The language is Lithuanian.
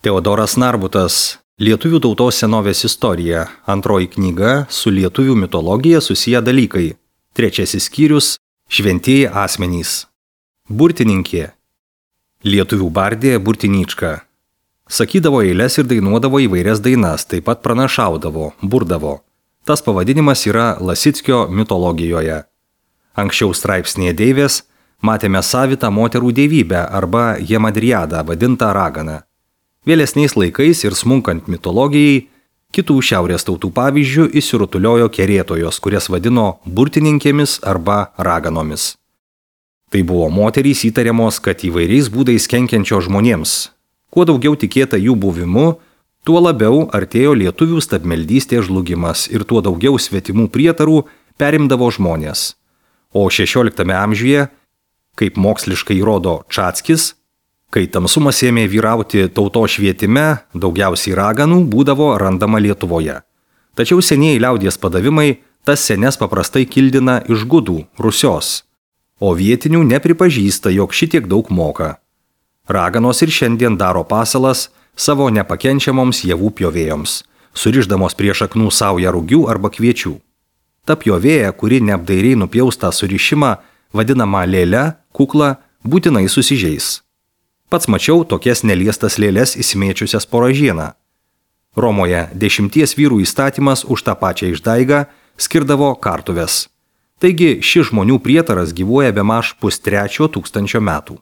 Teodoras Narbutas, Lietuvių tautos senovės istorija, antroji knyga su lietuvių mitologija susiję dalykai, trečiasis skyrius – šventieji asmenys. Burtininkė. Lietuvių bardė Burtinyčka. Sakydavo eiles ir dainuodavo įvairias dainas, taip pat pranašaudavo, burdavo. Tas pavadinimas yra Lasickio mitologijoje. Anksčiau straipsnėje deivės matėme savitą moterų dievybę arba Jemadriadą vadintą raganą. Vėlesniais laikais ir smunkant mitologijai, kitų šiaurės tautų pavyzdžių įsirutuliojo kerėtojos, kurias vadino burtininkėmis arba raganomis. Tai buvo moterys įtariamos, kad įvairiais būdais kenkiančio žmonėms. Kuo daugiau tikėta jų buvimu, tuo labiau artėjo lietuvių stabmeldystės žlugimas ir tuo daugiau svetimų prietarų perimdavo žmonės. O 16 amžiuje, kaip moksliškai rodo Čatskis, kai tamsumas ėmė vyrauti tautos švietime, daugiausiai raganų būdavo randama Lietuvoje. Tačiau senieji liaudies padavimai tas senes paprastai kildina iš gudų, Rusios, o vietinių nepripažįsta, jog šitiek daug moka. Raganos ir šiandien daro pasalas savo nepakenčiamoms javų pjovėjoms, surišdamos prie šaknų saują rugių arba kviečių. Ta pjovėja, kuri neapdairiai nupjaustą surišimą, vadinama lėle, kukla, būtinai susižeis. Pats mačiau tokias neliestas lėles įsimėčiusias po ražieną. Romoje 10 vyrų įstatymas už tą pačią išdaigą skirdavo kartuves. Taigi šis žmonių prietaras gyvuoja bemaž 2,5 tūkstančio metų.